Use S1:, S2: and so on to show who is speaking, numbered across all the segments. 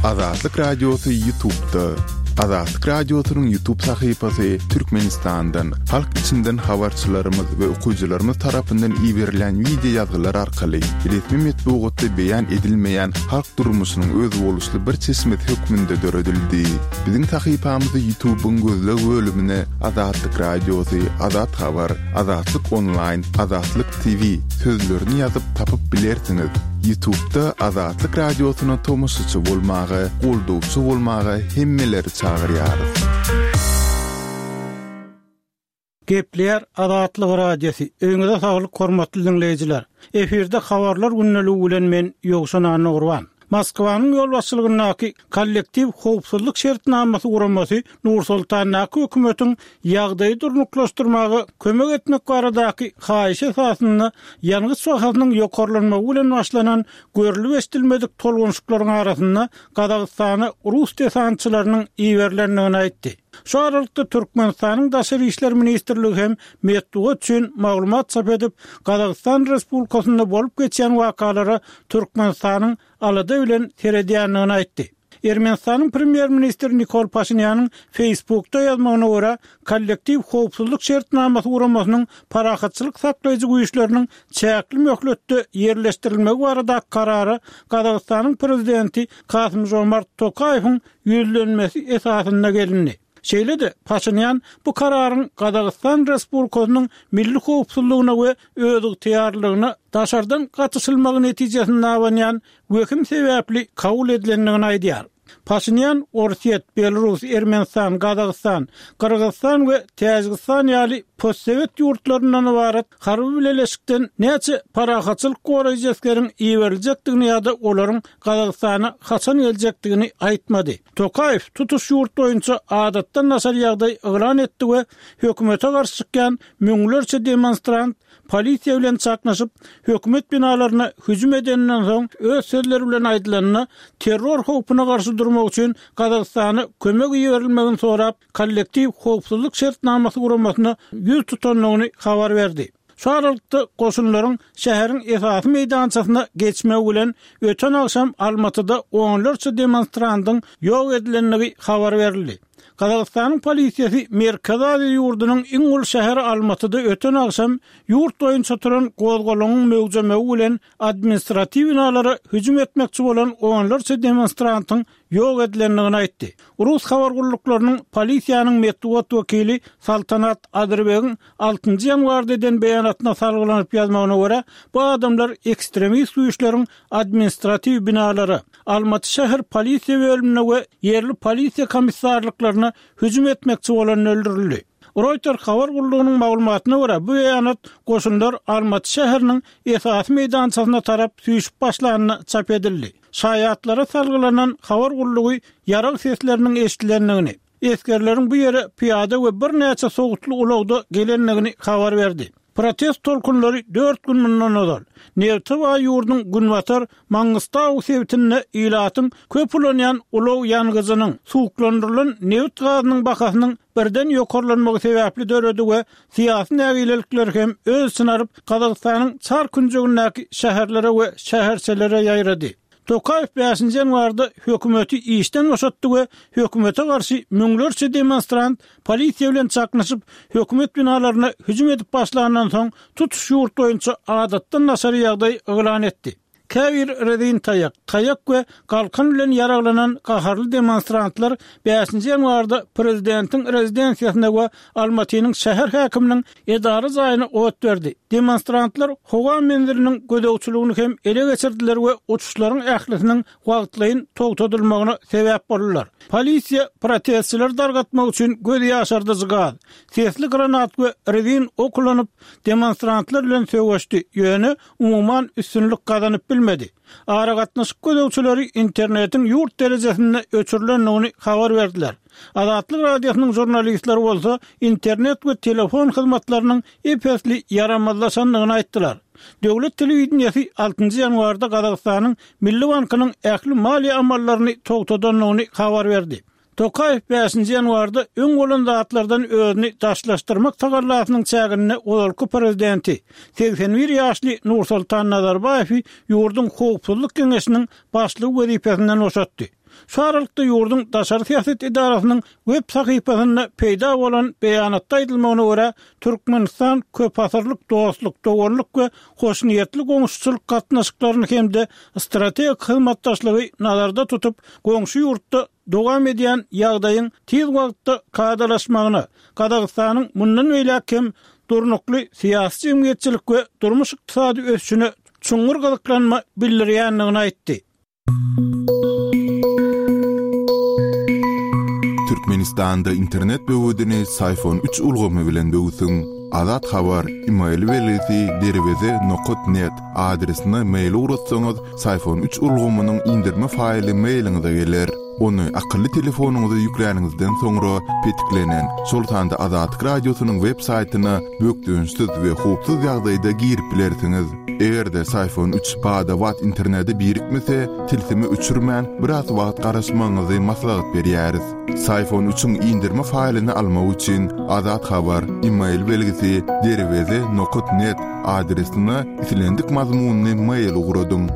S1: Azatlyk Radiosy Ýutubda. Azatlyk Radiosynyň Ýutub sahypasy Türkmenistandan, halk içinden habarçylarymyz we okyjylarymyz tarapyndan iberilen wideo ýazgylar arkaly resmi metbugatda beýan edilmeýän halk durmuşynyň özboluşly bir çeşmesi hökmünde döredildi. Biziň sahypamyzy Ýutubyň gözleg bölümine Azatlyk Radiosy, Azat Habar, Azatlyk Onlaýn, Azatlyk TV sözlerini ýazyp tapyp bilersiňiz. Ýutubda Azatlyk Radiosyna tomaşaçy bolmaga, goldawçy bolmaga hemmeleri çagyrýarys.
S2: Gepleýär Azatlyk Radiosy, Öýüňize saglyk hormatly diňleýjiler! Efirde Habarlar gündeligi bilen men Ýowşan Annagurban. Moskwanyň ýolbaşçylygyndaky Kollektiw howpsuzlyk şertnamasy guramasy Nur-Sultandaky hökümetiň ýagdaýy durnuklaşdyrmaga kömek etmek baradaky haýyşy esasynda ýangyç bahasynyň ýokarlanmagy bilen başlanan görlüp-eşidilmedik tolgunyşyklaryň arasynda Gazagystana rus desantçylarynyň iberilendigini aýtdy. Şu aralykda Türkmenistanyň Daşary işler ministrligi hem metbugat üçin maglumat çap edip, Gazagystan Respublikasynda bolup geçýän wakalara Türkmenistanyň alada bilen seredýändigini aýtdy. Ermenistanyň premýer-ministri Nikol Paşinýanyň Facebookda ýazmagyna görä, Kollektiw howpsuzlyk şertnamasy guramasynyň parahatçylyk saklaýjy güýçleriniň çäkli möhletde ýerleşdirilmegi baradaky karara Gazagystanyň prezidenti Kasym-Žomart Tokaýewiň ýüzlenmesi esasynda gelindi. Şeýle-de, Paşinýan bu kararyň Gazagystan Respublikasynyň milli howpsuzlygyna we özygtyýarlylygyna daşardan gatyşylmagy netijesinde abanýan wehim sebäpli kabul edilendigini aýdýar. Paşinýan Orsýet, Belarus, Ermenistan, Gazagystan, Gyrgyzystan we Täjigistan ýaly postsowet ýurtlaryndan ybarat harby bileleşikden näçe parahatçylyk goraýjy esgeriň iberiljekdigini ýa-da olaryň Gazagystana haçan geljekdigini aýtmady. Tokaýew tutuş ýurt boýunça adatdan daşary ýagdaý yglan etdi we hökümete garşy çykýan müňlerçe demonstrant polisiýa bilen çaknyşyp, hökümet binalaryna hüjüm edeninden soň, öz sözleri bilen aýdylanda, terror howpuna garşy durmak üçin Gazagystana kömek iberilmegini sorap, Kollektiw howpsuzlyk şertnamasy guramasyna ýüz tutandygyny habar berdi. Şu aralykda, goşunlaryň şäheriň esasy meýdançasyna geçmegi bilen, öten agşam Almatyda onlarça demonstrantyň ýok edilendigi habar berildi. Gazagystanyň polisiýasy Merkezi Aziýa ýurdunyň iň uly şäheri Almatyda öten agşam ýurt boýunça turan gozgalaňyň möwjemegi bilen administratiw binalara hüjüm etmekçi bolan onlarça demonstrantyň ýok edilendigini aýtdy. Rus habar gulluklarynyň polisiýanyň metbugat wekili Saltanat Adyrbegiň altynjy ýanwarda eden beýanatyna salgylanyp ýazmagyna görä, bu adamlar ekstremist güýçleriň administratiw binalara, Almaty şäher polisiýa bölümine we ýerli polisiýa komissarlyklaryna hüjüm etmekçi bolanda öldürildi. Reuters habar gullugynyň maglumatyna görä, bu beýanat goşunlar Almaty şäheriniň esasy meýdançasyna tarap süýşüp başlanda çap edildi. Şaýatlara salgylanan habar gullugy ýarag sesleriniň eşidilendigini, esgerleriň bu ýere pyýada we birnäçe sowutly ulagda gelendigini habar berdi. Protest tolkunlary dört gün mundan ozal, nebte baý ýurduň günbatar Mangystau sebitinde ilatyň köp ulanýan ulag ýangyjynyň, suwuklandyrylan nebit gazynyň bahasynyň birden ýokarlanmagy sebäpli döredi we syýasy nägilelikleri hem öz içine alyp, Gazagystanyň çar künjegindäki şäherlere we şäherçelere ýaýrady. Tokaýew bäşinji ýanwarda hökümeti işden boşatdy we hökümete garşy müňlerçe demonstrant polisiýa bilen çaknyşyp, hökümet binalaryna hüjüm edip başlandan soň, tutuş ýurt boýunça adatdan daşary ýagdaý yglan etdi. Käbir rezin taýak, taýak we galkan bilen ýaraglanan gaharly demonstrantlar bäşinji ýanwarda prezidentiň rezidensiýasyna we Almatynyň şäher häkiminiň edara jaýyna ot berdi. Demonstrantlar howa menziliniň gözegçiligini hem ele geçirdiler we uçuşlaryň ählisiniň wagtlaýyn togtadylmagyna sebäp boldular. Polisiýa protestçileri dargatmak üçin göz ýaşardyjy gaz, sesli granat we rezin ok ulanyp, demonstrantlar bilen söweşdi, ýöne umuman üstünlik gazanyp bilmedi. Aragatnaşyk gözegçileri internetiň ýurt derejesinde öçürilendigini habar berdiler. Azatlyk Radiosynyň žurnalistleri bolsa internet we telefon hyzmatlarynyň ep-esli ýaramazlaşandygyny aýtdylar. Döwlet telewideniýesi altynjy ýanwarda Gazagystanyň Milli bankynyň ähli maliýe amallaryny togtadandygyny habar berdi. Tokaýew bäşinji ýanwarda öň bolan zatlardan özüni daşlaşdyrmak tagallasynyň çäginde ozalky prezidenti, 81 ýaşly Nursultan Nazarbaýewi ýurduň Howpsuzlyk geňeşiniň başlygy wezipesinden boşatdy. Şu aralykda ýurduň daşary syýasat edarasynyň web sahypasynda peýda bolan beýanatda aýdylmagyna görä, Türkmenistan köpasyrlyk dostluk, doganlyk we hoşniýetli goňşuçylyk gatnaşyklaryny hem-de strategik hyzmatdaşlygy nazarda tutup, goňşy ýurtda dowam edýän ýagdaýyň tiz wagtda kadalaşmagyna, Gazagystanyň mundan beýläk hem durnukly syýasy-jemgyýetçilik we durmuş-ykdysady ösüşine çuňňur gyzyklanma bildirýändigini aýtdy.
S1: Türkmenistanda internet böwedini Syfon üç ulgamy bilen böwsüň. Azat Habar, email belgisi derweze nokat net adresine mail ugratsaňyz, Syfon üç ulgamynyň indirme faýly mailiňize geler. Ony akylly telefonyňyza ýükläniňizden soňra petiklenen, şol sanda Azatlyk Radiosynyň web saýtyna bökdençsiz we howpsuz ýagdaýda girip bilersiňiz. Eger-de Syfon üç bada-bat internete birikmese, tilsimi öçürmän, biraz wagt garaşmagyňyzy maslahat berýäris. Syfon üçiň indirme faýlyny almak üçin Azat Habar, email belgisi derweze nokat net adresine islendik mazmunly mail ugradyň.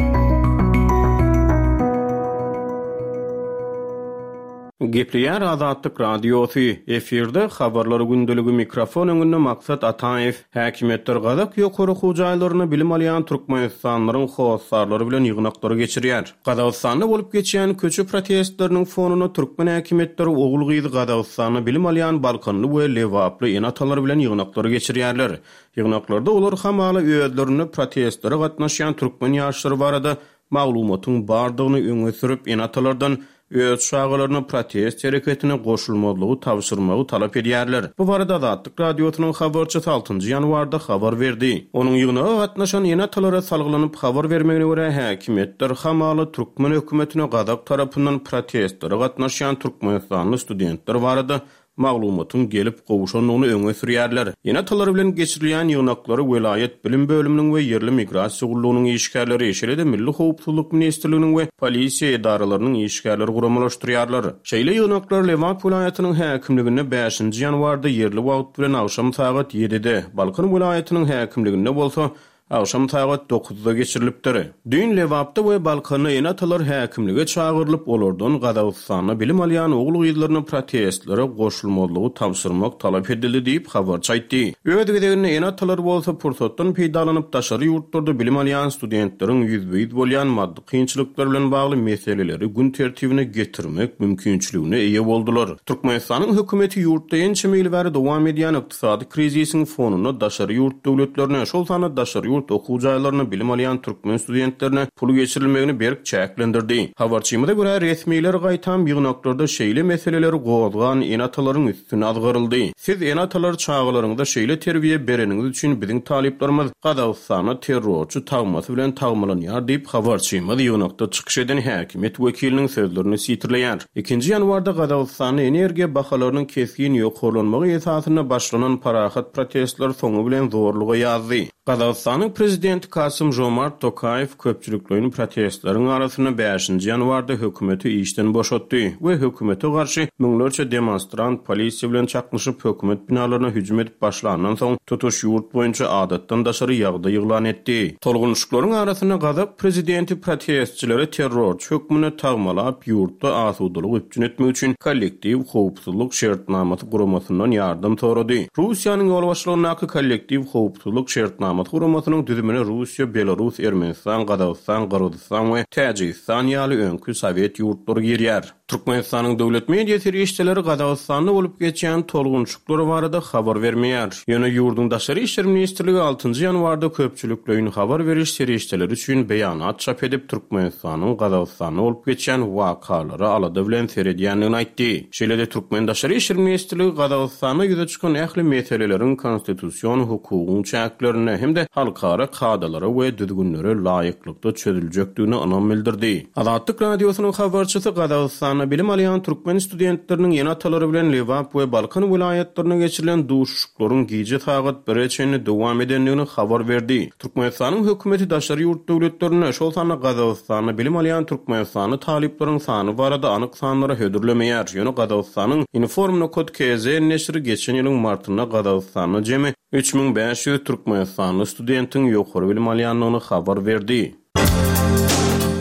S3: Gepleýär Azatlyk Radiosy, efirde Habarlar gündeligi mikrofon öňünde Maksat Ataýew. Häkimiýetler gazak ýokary okuw jaýlarynda bilim alýan türkmenistanlylaryň hossarlary bilen ýygnaklary geçirýär. Gazagystanda bolup geçýän köçe protestleriniň fonunda türkmen häkimiýetleri ogul-gyzy Gazagystanda bilim alýan balkanly we lebaply ene-atalar bilen ýygnaklary geçirýärler. Ýygnaklarda olar hamala özlerinde protestlere gatnaşýan türkmen ýaşlary barada maglumatyň bardygyny öňe sürüp, ene-atalardan öz çagalaryna protest hereketine goşulmazlygy tabşyrmagy talap edýärler. Bu barada Azatlyk Radiosynyň habarçysy altynjy ýanwarda habar berdi. Onuň ýygnaga gatnaşan ene-atalara salgylanyp habar bermegine görä, häkimiýetler hamala türkmen hökümetine gazak tarapyndan protestlere gatnaşýan türkmenistanly studentler barada maglumatyň gelip gowşandygyny öňe sürýärler. Ene-atalar bilen geçirilýän ýygnaklary welaýat bilim bölüminiň we ýerli migrasiýa gullugynyň işgärleri, şeýle-de Milli howpsuzlyk ministrliginiň we polisiýa edaralarynyň işgärleri guramalaşdyrýarlar. Şeýle ýygnaklar Lebap welaýatynyň häkimliginde bäşinji ýanwarda ýerli wagt bilen agşam sagat ýedide, Balkan welaýatynyň häkimliginde bolsa Agşam sagat dokuzda geçirilipdir. Düýn Lebapda we Balkanda ene-atalar häkimlige çagyrylyp, olardan Gazagystanda bilim alýan ogul-gyzlaryna protestlere goşulmazlygy tabşyrmak talap edildi diýip, habarçy aýtdy. Öz gezeginde ene-atalar bolsa pursatdan peýdalanyp, daşary ýurtlarda bilim alýan studentleriň ýüzbe-ýüz bolýan maddy kynçylyklar bilen bagly meseleleri gün tertibine getirmek mümkinçiligine eýe boldular. Türkmenistanyň hökümeti ýurtda ençeme ýyl bäri dowam edýän ykdysady krizisiň fonunda daşary ýurt döwletlerine, şol sanda daşary ýurt okuw jaýlarynda bilim alýan türkmen studentlerine pul geçirilmegini berk çäklendirdi. Habarçymyza görä, resmiler gaýtam ýygnaklarda şeýle meseleleri gozgan ene-atalaryň üstüne azgyryldy. Siz ene-atalar çagalaryňyza şeýle terbiýe bereniňiz üçin biziň talyplarymyz Gazagystanda terrorçy tagmasy bilen tagmalanýar diýip, habarçymyz ýygnakda çykyş eden häkimiýet wekiliniň sözlerini sitirleýär. Ikinji ýanwarda Gazagystanda energiýa bahalarynyň kesgin ýokarlanmagy esasynda başlanan parahat protestler soňy bilen zorluga ýazdy. Gazagystanyň prezidenti Kasym-Žomart Tokaýew köpçülikleýin protestleriň arasynda bäşinji ýanwarda hökümeti işden boşatdy we hökümete garşy müňlerçe demonstrant polisiýa bilen çaknyşyp hökümet binalaryna hüjüm edip başlandan soň tutuş ýurt boýunça adatdan daşary ýagdaý yglan etdi. Tolgunyşyklaryň arasynda gazak prezidenti protestçileri terrorçy hökmünde tagmalap, ýurtda asudalygy üpjün etmek üçin Kollektiw howpsuzlyk şertnamasy guramasyndan ýardam sorady. Russiýanyň ýolbaşçylygyndaky Kollektiw howpsuzlyk şertnamasy guramasynyň düzümine Russiýa, Belarus, Ermenistan, Gazagystan, Gyrgyzystan we Täjigistan ýaly öňki sowet ýurtlary girýär. Türkmenistanyň döwlet media serişdeleri Gazagystanda bolup geçýän tolgunşyklar barada habar bermeýär. Ýöne ýurduň Daşary işler ministrligi altynjy ýanwarda köpçülikleýin habar beriş serişdeleri üçin beýanat çap edip, Türkmenistanyň Gazagystanda bolup geçýän wakalara alada bilen seredýändigini aýtdy. Şeýle-de türkmen Daşary işler ministrligi Gazagystanda ýüze çykan ähli meseleleriň konstitusion hukugyň çäklerinde hem-de halkara kadalara we düzgünlere laýyklykda çözüljekdigine ynam bildirdi. Azatlyk Radiosynyň habarçysy Gazagystanda bilim alýan türkmen studentleriniň ene-atalary bilen Lebap we Balkan welaýatlarynda geçirilen duşuşyklaryň gije sagat bire çenli dowam edendigini habar berdi. Türkmenistanyň hökümeti daşary ýurt döwletlerinde, şol sanda Gazagystanda bilim alýan türkmenistanly talyplaryň sany barada anyk sanlary hödürlemeýär. Ýöne Gazagystanyň Inform.kz neşiri geçen ýylyň martynda Gazagystanda jemi 3500 türkmenistanly studentiň ýokary bilim alýandygyny habar berdi.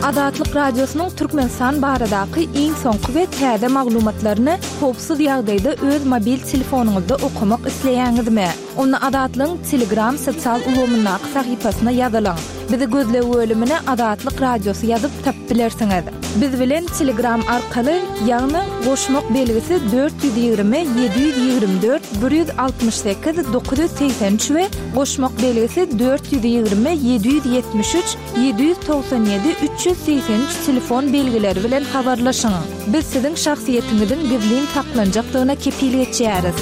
S4: Azatlyk Radiosynyň Türkmenistan baradaky iň soňky we täze maglumatlaryny howpsuz ýagdaýda öz mobil telefonyňyzda okamak isleýäňizmi? Onda Azatlygyň Telegram sosial ulgamyndaky sahypasyna ýazylyň. Bizi gözleg bölümine Azatlyk Radiosy ýazyp tapyp bilersiňiz. Biz bilen Telegram arkaly, ýagny goşmak belgisi 420 724 168 983 we goşmak belgisi 420 773 797 383 telefon belgileri bilen habarlaşyň. Biz siziň şahsyýetiňiziň gizlin saklanjakdygyna kepil geçýäris.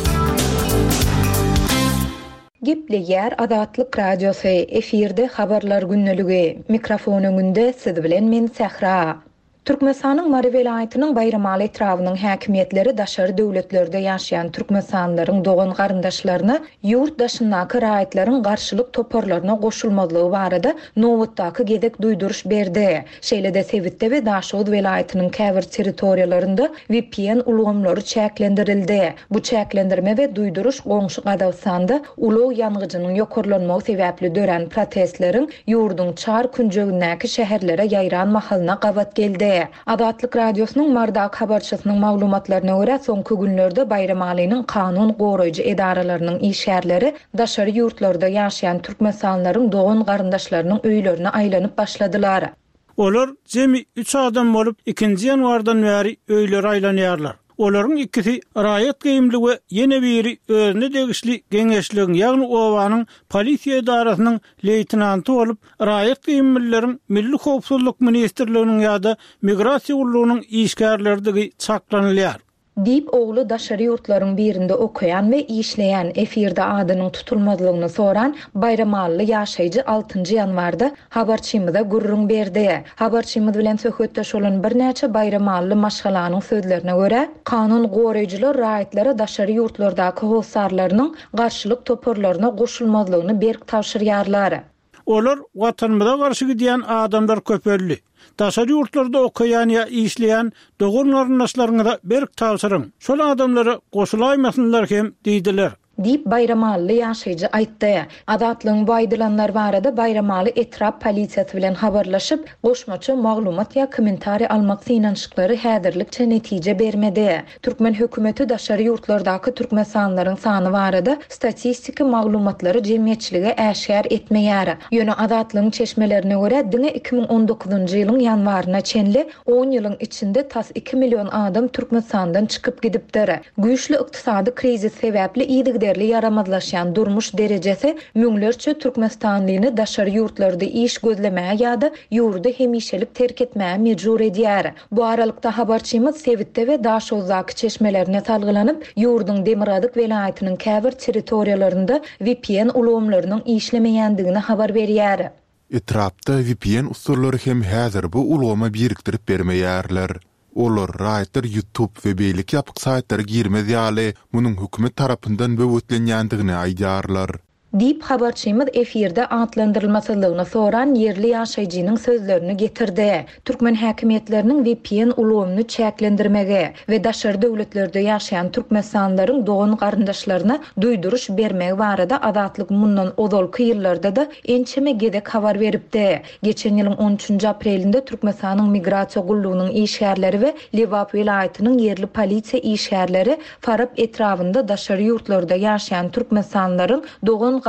S5: Gepleýär Azatlyk Radiosy, efirde Habarlar gündeligi. Mikrofon öňünde siz bilen men Sähra. Türkmenistanyň Mary welaýatynyň Baýramaly etrabynyň häkimiýetleri daşary döwletlerde ýaşaýan türkmenistanlylaryň dogan-garyndaşlaryna ýurt daşyndaky raýatlaryň garşylyk toparlaryna goşulmazlygy barada nobatdaky gezek duýduryş berdi. Şeýle-de sebitde we Daşoguz welaýatynyň käbir territoriýalarynda vpn ulgamlary çäklendirildi. Bu çäklendirme we duýduryş goňşy Gazagystanda ulag ýangyjynyň ýokarlanmagy sebäpli dörän protestleriň ýurduň çar künjegindäki şäherlere ýaýran mahalyna gabat geldi. Azatlyk Radiosynyň Marydaky habarçysynyň maglumatlaryna görä, soňky günlerde Baýramalynyň kanun goraýjy edaralarynyň işgärleri daşary ýurtlarda ýaşaýan türkmenistanlylaryň dogan-garyndaşlarynyň öýlerine aýlanyp başladylar.
S2: Olar jemi üç adam bolup, ikinji ýanwardan bäri öýlere aýlanýarlar. Olaryň ikisi raýat geýimli we ýene biri özüne degişli geňeşligiň, ýagny obanyň polisiýa edarasynyň leýtenanty bolup, raýat geýimlileriň Milli howpsuzlyk ministrliginiň ýa-da Migrasiýa gullugynyň işgärleridigi çaklanylýar.
S5: Diýip, ogly daşary ýurtlaryň birinde okaýan we işleýän, efirde adynyň tutulmazlygyny soran baýramally ýaşaýjy altynjy ýanwarda habarçymyza gürrüň berdi. Habarçymyz bilen söhbetdeş bolan birnäçe baýramally maşgalanyň sözlerine görä, kanun goraýjylar raýatlara daşary ýurtlardaky hossarlarynyň garşylyk toparlaryna goşulmazlygyny berk tabşyrýarlar.
S2: Olar Watanymyza garşy gidýän adamlar köpeldi. Daşary ýurtlarda okaýan ýa işleýän dogan-garyndaşlaryňyza berk tabşyryň, şol adamlara goşulaýmasynlar hem diýdiler.
S5: Diýip, baýramalyly ýaşaýjy aýtdy. Azatlygyň bu aýdylanlar barada Baýramaly etrap polisiýasy bilen habarlaşyp, goşmaça maglumat ýa kommentariý almak synanyşyklary häzirlikçe netije bermedi. Türkmen hökümeti daşary ýurtlardaky türkmenistanlylaryň sany barada statistiki maglumatlary jemgyýetçilige äşgär etmeýär. Ýöne Azatlygyň çeşmelerine görä, diňe 2019-njy ýylyň ýanwaryna çenli on ýylyň içinde tas iki million adam Türkmenistandan çykyp gidipdir. Güýçli ykdysady krizis sebäpli yzygiderli ýaramazlaşýan durmuş derejesi müňlerçe türkmenistanlyny daşary ýurtlarda iş gözlemäge ýa-da ýurdy hemişelik terk etmäge mejbur edýär. Bu aralykda, habarçymyz sebitde we Daşoguzdaky çeşmelerine salgylanyp, ýurduň demirgazyk welaýatynyň käbir territoriýalarynda vpn ulgamlarynyň işlemeýändigini habar berýär.
S1: Etrapda vpn ussalary hem häzir bu ulgama birikdirip bermeýärler. Olar raýatlar YouTube we beýleki ýapyk saýtlara girmez ýaly munuň hökümet tarapyndan böwetlenýändigini aýdýarlar.
S5: Diýip, habarçymyz efirde atlandyrylmasyzlygyny soran ýerli ýaşaýjynyň sözlerini getirdi. Türkmen häkimiýetleriniň vpn ulgamyny çäklendirmegi we daşary döwletlerde ýaşaýan türkmenistanlylaryň dogan-garyndaşlaryna duýduryş bermegi barada Azatlyk mundan ozalky ýyllarda-da ençeme gezek habar beripdi. Geçen ýylyň on üçünji aprelinde Türkmenistanyň Migrasiýa gullugynyň işgärleri we Lebap welaýatynyň ýerli polisiýa işgärleri Farap etrabynda daşary ýurtlarda ýaşaýan türkmenistanlylaryň dogan-garyndaşlary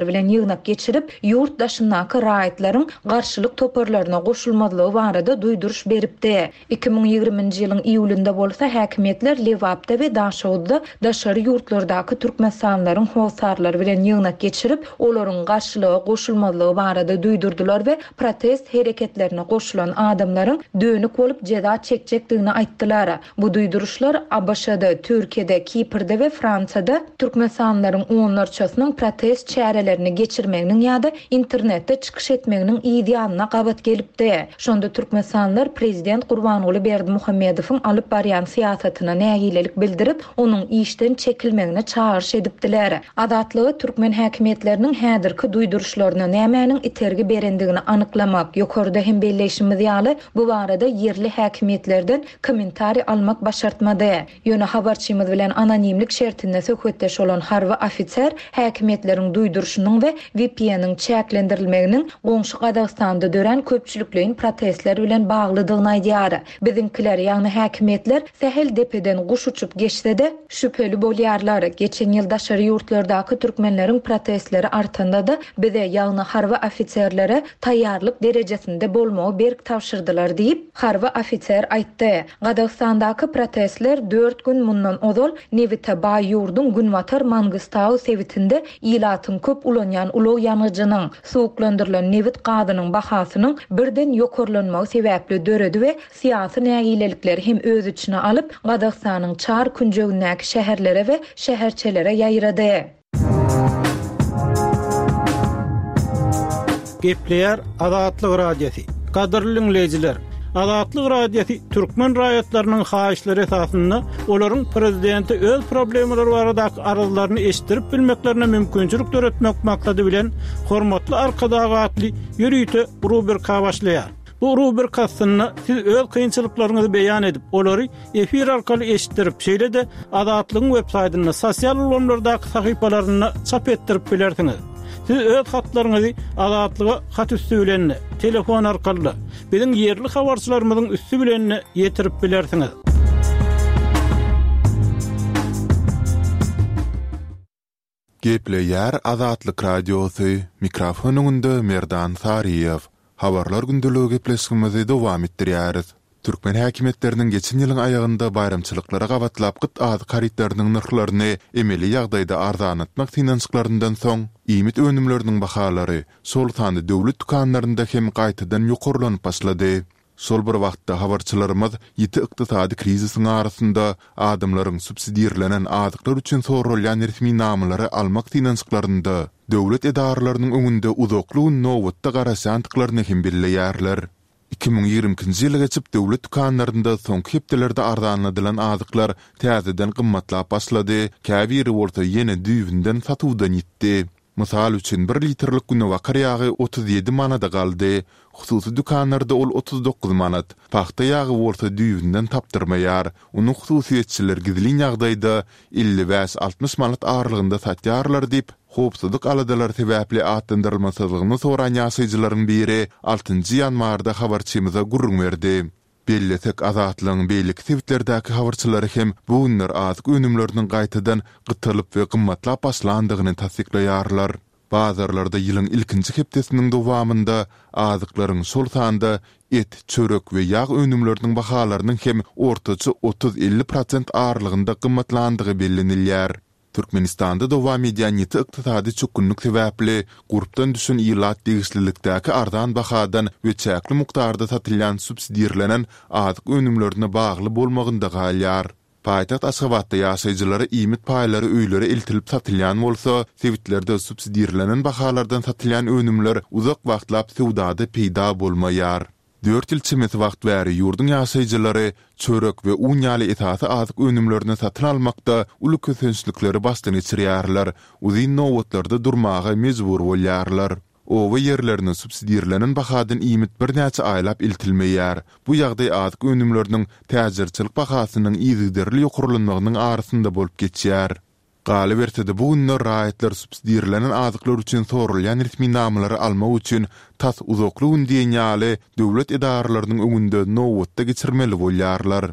S5: bilen ýygnak geçirip, ýurt daşyndaky raýatlaryň garşylyk toparlaryna goşulmazlygy barada duýduryş beripdi. 2020-nji ýylyň iýulynda bolsa häkimiýetler Lebapda we Daşoguzda daşary ýurtlardaky türkmenistanlylaryň hossarlary bilen ýygnak geçirip, olaryň garşylyga goşulmazlygy barada duýdurdylar we protest hereketlerine goşulan adamlaryň dönük bolup jeza çekjekdigini aýtdylar. Bu duýduryşlar ABŞ-da, Türkiýede, Kiprde we Fransiýada türkmenistanlylaryň onlarçasynyň protest çärelerini geçirmeginiň ýa-da internetde çykyş etmeginiň yz ýanyna gabat gelipdi. Şonda türkmenistanlylar prezident Gurbanguly Berdimuhamedowyň alyp barýan syýasatyna nägilelik bildirip, onuň işden çekilmegine çagyryş edipdiler. Azatlyga türkmen häkimiýetleriniň häzirki duýduryşlaryna nämäniň itergi berendigini anyklamak, ýokarda hem belleýşimiz ýaly, bu barada ýerli häkimiýetlerden kommentariý almak başartmady. Ýöne habarçymyz bilen anonimlik şertinde söhbetdeş bolan harby ofiser häkimiýetleriň. Häkimiýetleriň duýduryşynyň we VPN-iň çäklendirilmeginiň goňşy Gazagystanda dörän köpçülikleýin protestler bilen baglydygyny aýdýar. Biziňkiler, ýagny häkimiýetler sähel depeden guş uçup geçse-de, şübheli bolýarlar. Geçen ýyl daşary ýurtlardaky türkmenleriň protestleri artanda-da, bize, ýagny harby ofiserlere taýýarlyk derejesinde bolmagy berk tabşyrdylar diýip, harby ofiser aýtdy. Gazagystandaky protestler dört gün mundan ozal nebite baý ýurduň günbatar Mangystau sebitinde ilatyň köp ulanýan ulag ýangyjynyň, suwuklandyrylan nebit gazynyň bahasynyň birden ýokarlanmagy sebäpli döredi we syýasy nägilelikleri hem öz içine alyp, Gazagystanyň çar künjegindäki şäherlere we şäherçelere ýaýrady.
S2: Gepleýär Azatlyk Radiosy. Gadyrly diňleýjiler, Azatlyk Radiosy türkmen raýatlarynyň haýyşlary esasynda olaryň prezidente öz problemalary baradaky arzlaryny eşitdirip bilmeklerine mümkinçilik döretmek maksady bilen Hormatly Arkadag atly ýörite rubrika başlaýar. Bu rubrika astynda siz öz kynçylyklaryňyzy beýan edip, olary efir arkaly eşitdirip, şeýle-de Azatlygyň web saýtynda, sosial ulgamlardaky sahypalarynda çap etdirip bilersiňiz. Siz öz hatlaryňyzy Azatlyga hat üsti bilen-de, telefon arkaly-da, biziň ýerli habarçylarymyzyň üsti bilen-de ýetirip bilersiňiz.
S1: Gepleýär Azatlyk Radiosy, mikrofon öňünde Merdan Saryýew. Habarlar gündeligi gepleşigimizi dowam etdirýäris. Türkmen häkimiýetleriniň geçen ýylyň aýagynda baýramçylyklara gabatlap gyt azyk harytlarynyň nyrhlaryny emeli ýagdaýda arzanlatmak synanyşyklaryndan soň, iýmit önümleriniň bahalary, şol sanda döwlet dükanlarynda hem gaýtadan ýokarlanyp başlady. Şol bir wagtda, habarçylarymyz ýiti ykdysady krizisiň arasynda adamlaryň subsidirlenen azyklar üçin soralýan resminamalary almak synanyşyklarynda döwlet edaralarynyň öňünde uzakly gün nobatda garaşýandyklaryny hem belleýärler. 2022-nji ýyly geçip, döwlet dükanlarynda soňky hepdelerde arzanladylan azyklar täzeden gymmatlap başlady, käbiri bolsa ýene düýbünden satuwdan ýitdi. Mysal üçin, bir litrlik günebakar ýagy 37 manada galdy. Hususy dükanlarda ol 39 manat. Pagta ýagy bolsa düýbünden tapdyrmaýar. Ony hususyýetçiler gizlin ýagdaýda 55-60 manat aralygynda satýarlar diýip, howpsuzlyk aladalary sebäpli atlandyrylmasyzlygyny soran ýaşaýjylaryň biri altynjy ýanwarda habarçymyza gürrüň berdi. Bellesek, Azatlygyň beýleki sebitlerdäki habarçylary hem bu günler azyk önümleriniň gaýtadan gytalyp we gymmatlap başlandygyny tassyklaýarlar. Bazarlarda ýylyň ilkinji hepdesiniň dowamynda azyklaryň, şol sanda et, çörek we ýag önümleriniň bahalarynyň hem ortaça otuz-elli prosent aralygynda gymmatlandygy bellenilýär. Türkmenistanda dowam edýän ýiti ykdysady çökgünlik sebäpli gurpdan düşen ilat degişlilikdäki arzan bahadan we çäkli mukdarda satylýan subsidirlenen azyk önümlerine bagly bolmagynda galýar. Paýtagt Aşgabatda ýaşaýjylara iýmit paýlary öýlere eltilip satylýan bolsa, sebitlerde subsidirlenen bahalardan satylýan önümler uzak wagtlap söwdada peýda bolmaýar. Dört ýyl çemesi wagt bäri ýurduň ýaşaýjylary çörek we un ýaly esasy azyk önümlerini satyn almakda uly kösençlikleri başdan geçirýärler, uzyn nobatlarda durmaga mejbur bolýarlar. Oba ýerlerine subsidirlenen bahadan iýmit birnäçe aýlap eltilmeýär. Bu ýagdaý azyk önümleriniň täjirçilik bahasynyň yzygiderli ýokarlanmagynyň arasynda bolup geçýär. Galyberse-de, bu günler raýatlar subsidirlenen azyklar üçin soralýan resminamalary almak üçin tas uzakly gün diýen ýaly döwlet edaralarynyň öňünde nobatda geçirmeli bolýarlar.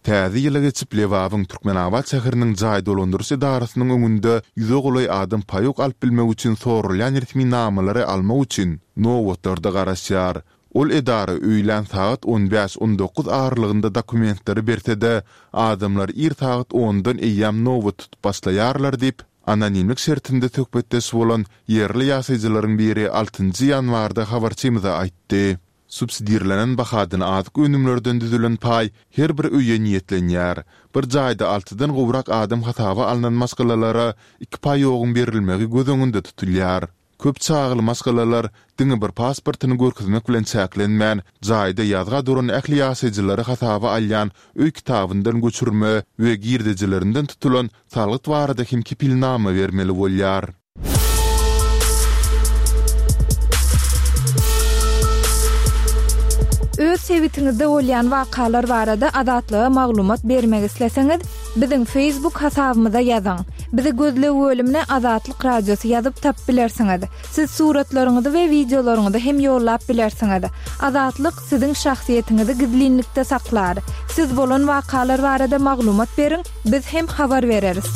S1: Täze ýyla geçip, Lebabyň Türkmenabat şäheriniň jaý dolandyryş edarasynyň öňünde ýüze golaý adam paýok alyp bilmek üçin soralýan resminamalary almak üçin nobatlarda garaşýar. Ol edara öýlän sagat on bäş-on dokuz aralygynda dokumentleri berse-de, adamlar ir sagat ondan eýýäm nobat tutup başlaýarlar diýip, anonimlik şertinde söhbetdeş bolan ýerli ýaşaýjylaryň biri altynjy ýanwarda habarçymyza aýtdy. Subsidirlenen bahadan azyk önümlerden düzülen paý her bir öýe niýetlenýär. Bir jaýda altydan gowrak adam hasaba alnan maşgalalara iki paýogyň berilmegi göz öňünde tutulýar. Köp çagaly maşgalalar diňe bir pasportyny görkezmek bilen çäklenmän, jaýda ýazga duran ähli ýaşaýjylary hasaba alýan öý kitabyndan göçürme we girdejilerinden tutulan salgyt barada hem kepilnama bermeli bolýar.
S4: Öz sebitiňizde bolýan wakalar barada Azatlyga maglumat bermek isleseňiz, Biziň Facebook hasabymyza ýazyň. Bizi gözleg bölümine Azatlyk Radiosy ýazyp tapyp bilersiňiz. Siz suratlaryňyzy we wideolaryňyzy hem ýollap bilersiňiz. Azatlyk siziň şahsyýetiňizi gizlinlikde saklar. Siz bolan wakalar barada maglumat beriň, biz hem habar bereris.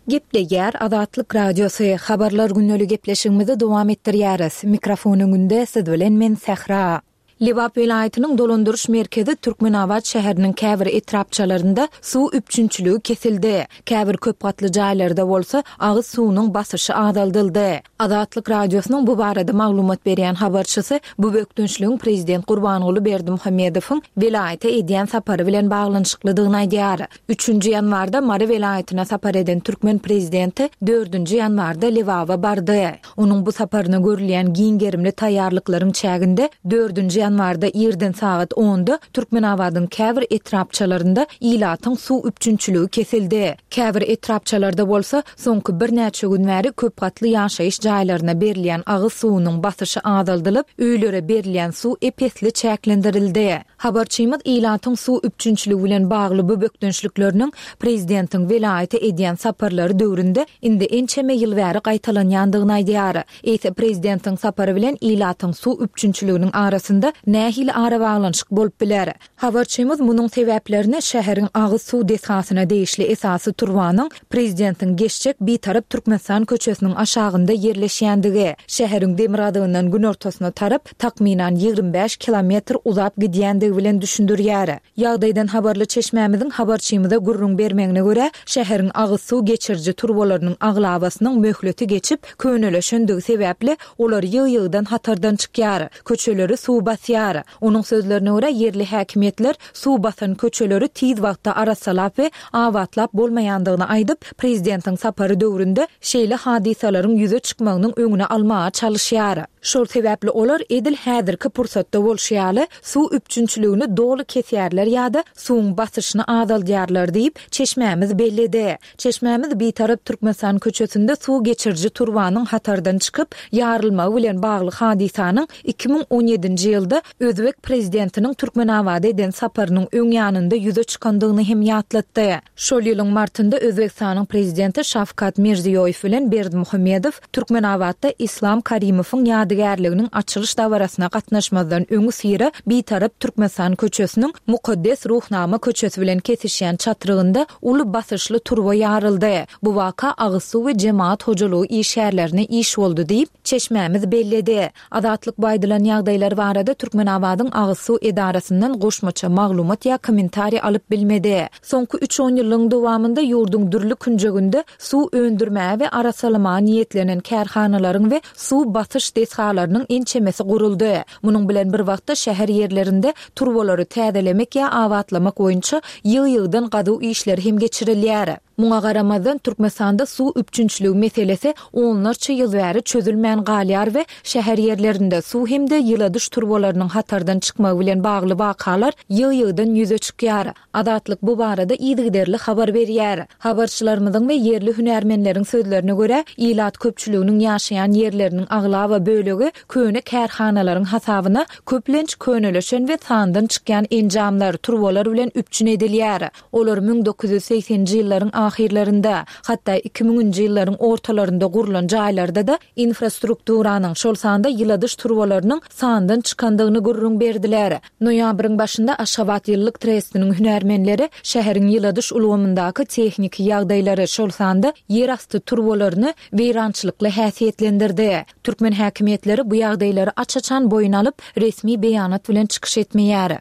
S4: Gepleýär Azatlyk Radiosy, Habarlar gündeli gepleşigimizi dowam etdirýäris. Mikrofon öňünde siz bilen men Sähra. Lebap welaýatynyň dolandyryş merkezi Türkmenabat şäheriniň käbir etrapçalarynda suw üpjünçiligi kesildi. Käbir köp gatly jaýlarda bolsa agyz suwunyň basyşy azaldyldy. Azatlyk Radiosynyň bu barada maglumat berýän habarçysy bu bökdençligiň prezident Gurbanguly Berdimuhamedowyň welaýata edýän sapary bilen baglanyşyklydygyny aýdýar. Üçünji ýanwarda Mary welaýatyna sapar eden türkmen prezidenti dördünji ýanwarda Lebaba bardy. Onuň bu saparyna görülýän giň gerimli taýýarlyklaryň çäginde dördünji ýanwarda irden sagat onda Türkmenabadyň käbir etrapçalarynda ilatyň suw üpjünçiligi kesildi. Käbir etrapçalarda bolsa soňky birnäçe gün bäri köpgatly ýaşaýyş jaýlaryna berilýän agyz suwunyň basyşy azaldylyp, öýlere berilýän suw ep-esli çäklendirildi. Habarçymyz ilatyň suw üpjünçiligi bilen bagly bu bökdençlikleriniň prezidentiň welaýata edýän saparlary döwründe indi ençeme ýyl bäri gaýtalanýandygyny aýdýar. Eýse prezidentiň sapary bilen ilatyň suw üpjünçiliginiň arasynda nähili arabaglanyşyk bolup biler? Habarçymyz munuň sebäplerini şäheriň agyz suw desgasyna degişli esasy turbanyň prezidentiň geçjek Bitarap Türkmenistan köçesiniň aşagynda ýerleşýändigi, şäheriň demirgazygyndan günortasyna tarap takmynan 25 kilometr uzap gidýändigi bilen düşündirýär. Ýagdaýdan habarly çeşmämiziň habarçymyza gürrüň bermegine görä, şäheriň agyz suw geçiriji turbalarynyň aglabasynyň möhleti geçip, könelişendigi sebäpli, olar ýygy-ýygydan hatardan çykýar, köçeleri suw basýar. Onuň sözlerine görä, ýerli häkimiýetler suw basan köçeleri tiz wagtda arassalap we abatlap bolmaýandygyny aýdyp, prezidentiň sapary döwründe şeýle hadysalaryň ýüze çykmagynyň öňüni almaga çalyşýar. Şol sebäpli olar edil häzirki pursatda bolşy ýaly, suw üpjünçiligini doly kesýärler ýa-da suwuň basyşyny azaldýarlar diýip, çeşmämiz belledi. Çeşmämiz Bitarap Türkmenistan köçesinde suw geçiriji turbanyň hatardan çykyp, ýarylmagy bilen bagly hadysanyň 2017-nji ýylda özbek prezidentiniň Türkmenabada eden saparynyň öň ýanynda ýüze çykandygyny hem ýatlatdy. Şol ýylyň martynda Özbegistanyň prezidenti Şawkat Mirziýoýew bilen Berdimuhamedow Türkmenabatda Islam Karimowyň ýadygärliginiň açylyş dabarasyna gatnaşmazdan öňüsyra Bitarap Türkmenistan köçesiniň Mukaddes Ruhnama köçesi bilen kesişýän çatrygynda uly basyşly turba ýaryldy. Bu waka agyz suw we jemagat hojalygy işgärlerine iş boldy diýip, çeşmämiz belledi. Azatlyk bu aýdylan ýagdaýlar barada Türkmenabadyň agyz suw edarasyndan goşmaça maglumat ýa kommentariý alyp bilmedi. Soňky üç onýyllygyň dowamynda ýurduň dürli künjeginde suw öndürmäge we arassalamaga niýetlenen kärhanalaryň we suw basyş desgalarynyň ençemesi guruldy. Munuň bilen bir wagtda şäher ýerlerinde turbalary täzelemek ýa abatlamak boýunça ýygy-ýygydan gazuw işleri hem geçirilýär. Muňa garamazdan, Türkmenistanda suw üpjünçiligi meselesi onlarça ýyl bäri çözülmän galýar we şäher ýerlerinde suw hem-de ýyladyş turbalarynyň hatardan çykmagy bilen bagly wakalar ýygy-ýygydan ýüze çykýar. Azatlyk bu barada yzygiderli habar berýär. Habarçylarymyzyň we ýerli hünärmenleriň sözlerine görä, ilat köpçüliginiň ýaşaýan ýerleriniň aglaba bölegi köne kärhanalaryň hasabyna köplenç könelişen we sandan çykýan enjamlar, turbalar bilen üpjün edilýär. Olar 1980-nji ýyllaryň ahyrlarynda, hatda iki müňünji ýyllaryň ortalarynda gurlan jaýlarda-da infrastrukturanyň, şol sanda ýyladyş turbalarynyň sandan çykandygyny gürrüň berdiler. Noýabryň başynda Aşgabat ýyllyk trestiniň hünärmenleri şäheriň ýyladyş ulgamyndaky tehniki ýagdaýlary, şol sanda ýerasty turbalaryny weýrançylykly häsiýetlendirdi. Türkmen häkimiýetleri bu ýagdaýlary aç-açan boýun alyp, resmi beýanat bilen çykyş etmeýär.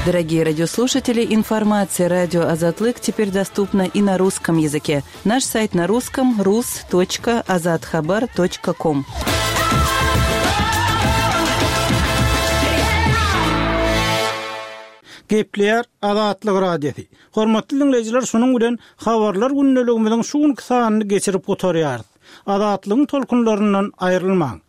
S6: Дорогие радиослушатели, информация радио Азатлык теперь доступна и на русском языке. Наш сайт на русском rus.azathabar.com.
S2: Gepleýär Azatlyk Radiosy. Hormatly diňleýjiler, şunuň bilen Habarlar gündeligimiziň şu günki sanyny geçirip gutarýarys. Azatlygyň tolkunlaryndan aýrylmaň!